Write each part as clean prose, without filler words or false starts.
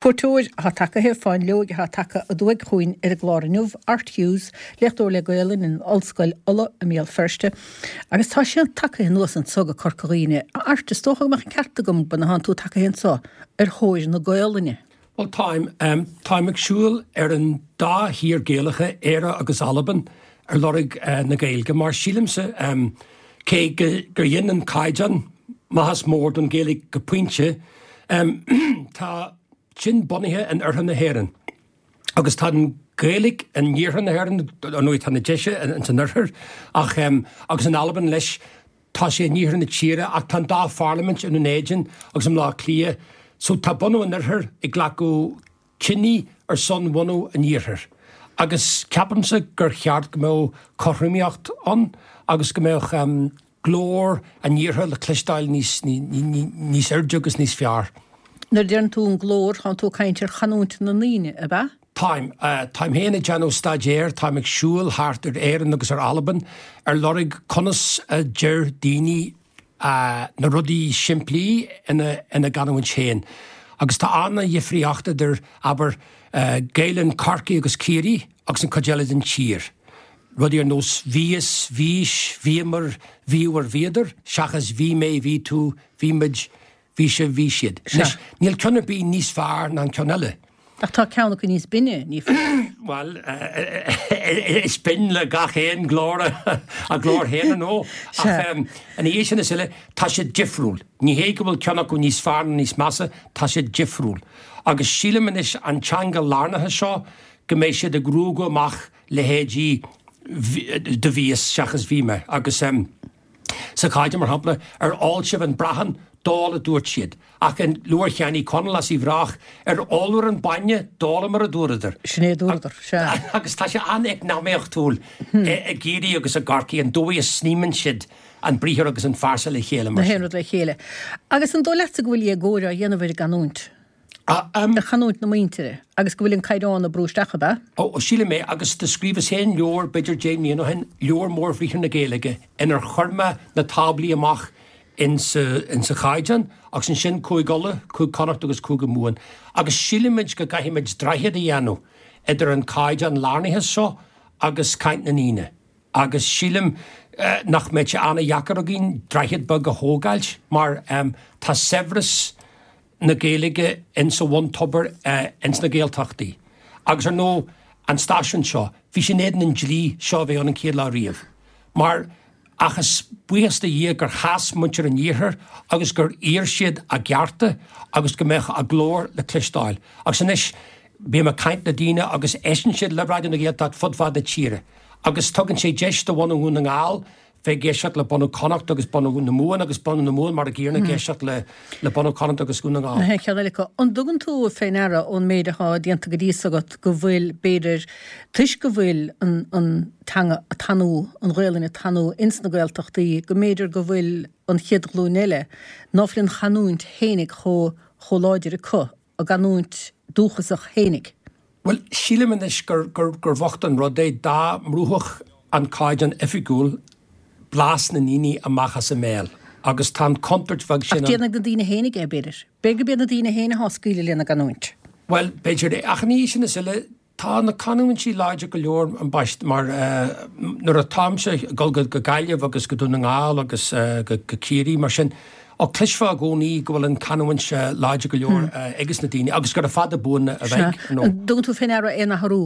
Cuairteoir atá tagaithe, Fáinleoig atá tagtha aduaidh chugainn ar an gclár inniu, Art Hughes, léachtóir le Gaolainn in Ollscoil Uladh i mBéal Feirste, agus tá sé tagaithe anuas anso go Corca Dhuibhne. A Airt, is dócha go mbeadh an ceart agam go thánn tú tagaithe anso ar thóir na Gaolainne. Bhuel, táim. Táim ag siúl ar an dá thír Gaelacha, Éire agus Albain, ar lorg na Gaeilge, mar sílimse, cé gur dhein an Caighdeán maitheas mór don Ghaeilge go pointe, Tá sin bunaithe in oirthear na hÉireann agus tá an Ghaeilge in iarthar na hÉireann, ar ndóigh tá na Déise ins an oirthear ach agus in Albain leis tá sé in iarthar na tíre ach tá an dá pharlaimint i nDún Éideann agus i mBleá Cliath so tá bunadh an oirthir ag glacadh cinní ar son bhunadh an iarthair agus ceapaimse gur cheart go mbeadh cothromaíocht ann agus go mbeadh glór an iarthair le cloisteáil níos níos airde agus níos fearr. Nuair a deireann tú an glór, tánn tú ag caint ar chanúint na ndaoine, ab ea? Táim. Táim féin ag déanamh staidéir, táim ag siúl thart ar Éirinn agus ar Albain ar lorg conas a deir daoine na rudaí simplí ina ina gcanúint féin. Agus tá an-dhifríocht idir, abair, Gaelainn Chorcaí agus Ciarraí agus an chuid eile den tír. Rudaí ar nós bhíos, bhís, bhíomar, bhíobhair, bhíodar, seachas bhí mé, bhí tú, bhí muid, bhí sibh, bhí siad. Anois, níl ceann ar bith níos fearr ná an ceann eile. Ach tá ceann acu níos binne, ní foláir? Bhuel, is binn le gach aon ghlór a glór féin, ar ndóigh. Ach ina dhiaidh sin is uile, tá siad difriúil. Ní hé go bhfuil ceann acu níos fearr nó níos measa, tá siad difriúil. Agus sílim anois an teanga lárnaithe seo, go mbeidh siad ag ruaigeadh amach leithéidí do bhíos seachas bhí mé agus sa Chaighdeán, mar shampla, ar ól sibh an brachán? D'ól, a dúirt siad. Ach in leabhar Sheáin Uí Chonaill as Uíbh Ráthach, ar ólabhair an bainne? D'ólamar, a dúradar. Sin é a dúradar, sea. Agus tá sé an-eacnamaíochtúil i gCiarraí agus i gCorcaigh an dóigh a sníomann siad an briathar agus an phearsa le chéile mar sin. Na haon rud le chéile. Agus an dóigh leatsa go bhfuil éagóir á dhéanamh ar an gcanúint? Ar chanúint na muintire, agus go bhfuil an caighdeán á brú isteach, ab ea? Ó, sílim é, agus do scríobhas féin leabhar b'fhéidir 10 mbliana ó shin, Leabhar Mórbhriathra na Gaeilge, inar chuir mé na táblaí amach insa, insa chaighdeán, agus ansin Cúig Uladh, Cúig Connacht agus Cúige Mumhan. Agus sílimid go gcaithfimid droichead a dhéanamh idir an caighdeán lárnaithe seo agus caint na ndaoine. Agus sílim nach mbeidh sé an-dheacair againn droichead beag a thógáilt, mar tá saibhreas, na Gaeilge ins a bhuntobar ins na Gaeltachtaí. Agus ar ndóigh, an stáisiún seo, bhí sé in éadan an dlí seo a bheith ann an chéad lá riamh. Mar, ach is buíochas do Dhia gur sheas muintir an Iarthair agus gur iarr siad a gcearta agus go mbeadh a glór le cloisteáil. Agus anois, bím ag caint le daoine agus éisteann siad le Raidió na Gaeltachta fud fad na tíre. Agus tugann sé deis do bhunadh Dhún na nGall bheith ag éisteacht le bunadh Connacht agus bunadh na Mumhan agus bunadh na Mumhan mar a gcéanna ag éisteacht le le bunadh Connacht agus Dhún na nGall. Na haon cheann eile acu. An dtugann tú fé ndeara ón méid atá déanta go dtí so agat go bhfuil, b'fhéidir, toisc go bhfuil an an teanga ag tanú, an Ghaolainn ag tanú ins na Gaeltachtaí, go mb'fhéidir go bhfuil an chéad ghlúin eile, ná fuil an chanúint fhéinig chomh chomh láidir acu, a gcanúint dúchasach fhéinig? Bhuel, sílim anois gur, gur, gur bhocht an rud é dá mbrúfadh an Caighdeán Oifigiúil blas na ndaoine amach as a mbéal. Agus tá an chontúirt bheag sin ann. Ach déanfaidh na daoine fhéinig é, b'fhéidir. B'fhéidir gurb iad na daoine féin atá ag scaoileadh lena gcanúint. Bhuel, b'fhéidir é. Ach ina dhiaidh sin is uile, tá na canúintí láidir go leor, ambaist, mar nuair atáimse ag dul go Gaillimh agus go Dún na nGall agus go Ciarraí, mar sin, ó, cloisfeá i gcónaí go bhfuil an chanúint láidir go leor ages na daoine agus gura fada buan a bheidh, ar ndóigh. An dtugann tú fé ndeara aon athrú?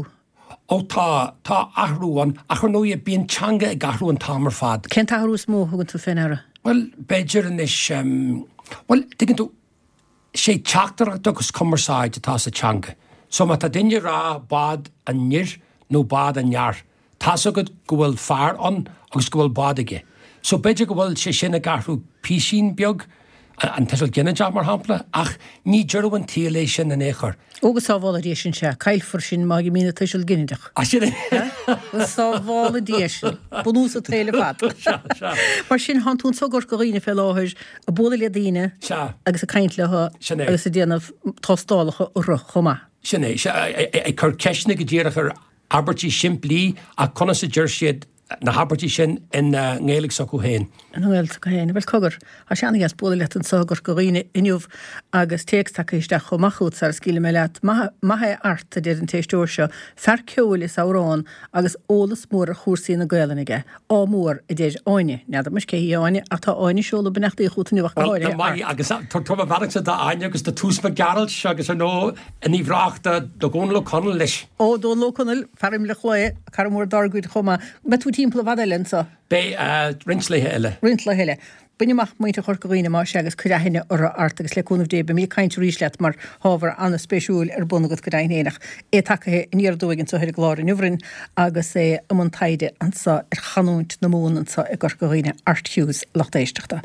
Ó tá, tá athrú ann, ach ar ndóigh bíonn teanga ag athrú an t-am ar fad. Cén t-athrú is mó a thugann tú fé ndeara? Bhuel, b'fhéidir anois, bhuel, tuigeann tú, sé teachtaireacht agus cumarsáid atá sa teanga. So má tá duine ag rá bád an fhir nó bád an fhear, tá's agat go bhfuil fear ann agus go bhfuil bád aige. So b'fhéidir go bhfuil sé sin ag athrú píosín beag, an tuiseal ginideach mar shampla, ach ní deireadh an tsaoil é sin in aon chor. Ó go sábhála Dia sinn, sea, caillfear sinn má imíonn an tuiseal ginideach. Ah, sin é. Go sábhála Dia sinn. Bunús an tsaoil ar fad. Sea, sea. Mar sin, thánn tú anso i gCorca Dhuibhne fé láthair ag bualadh le daoine Sea. agus ag caint leo Sin é. agus ag déanamh tástálacha orthu chomh maith. Sin é. Sea, ag cur ceisteanna go díreach ar abairtí simplí ach conas a deir siad. na habairtí sin ina nGaeilge s'acu féin. Ina nGaeilge s'acu féin. Bhuel, cogar, tá sé an-dheas bualadh leat anseo i gCorca Dhuibhne inniu agus téacs tagtha isteach chomh maith chugat sara scaoilfidh mé leat. Maith é Art, a deir an t-éisteoir seo, fear ceoil is amhrán agus eolas mór ar chúrsaí na Gaelainne aige. Ádh mór, a deir Áine. N'fheadar muis cé hí Áine, ach tá Áine ag seoladh beannachtaí chugat inniu ach go háirithe, Art. Maith, agus tabhair mo bheannachta d'Áine agus do Toose Mac Gearailt agus ar ndóigh in Uíbh Ráthach do Dhónal Ó Conaill leis. Ó, Dónal Ó Conaill, fear Imleach Lae, cara mór dár gcuid chomh maith. Mbeidh tú timpeall i bhfad eile anso? Beidh, roinnt laethe eile. Roinnt laethe eile. Bain amach muintir Chorca Dhuibhne más ea agus cuir aithne orthu Art agus le cúnamh Dé beimid ag caint arís leat mar tá ábhar an-spéisiúil ar bun agat go deimhin féin ach é tagtha aniar aduaidh anseo ar an gclár inniu orainn agus é i mbun taighde anseo ar chanúint na Mumhan anseo i gCorca Dhuibhne. Art Hughes, lucht éisteachta.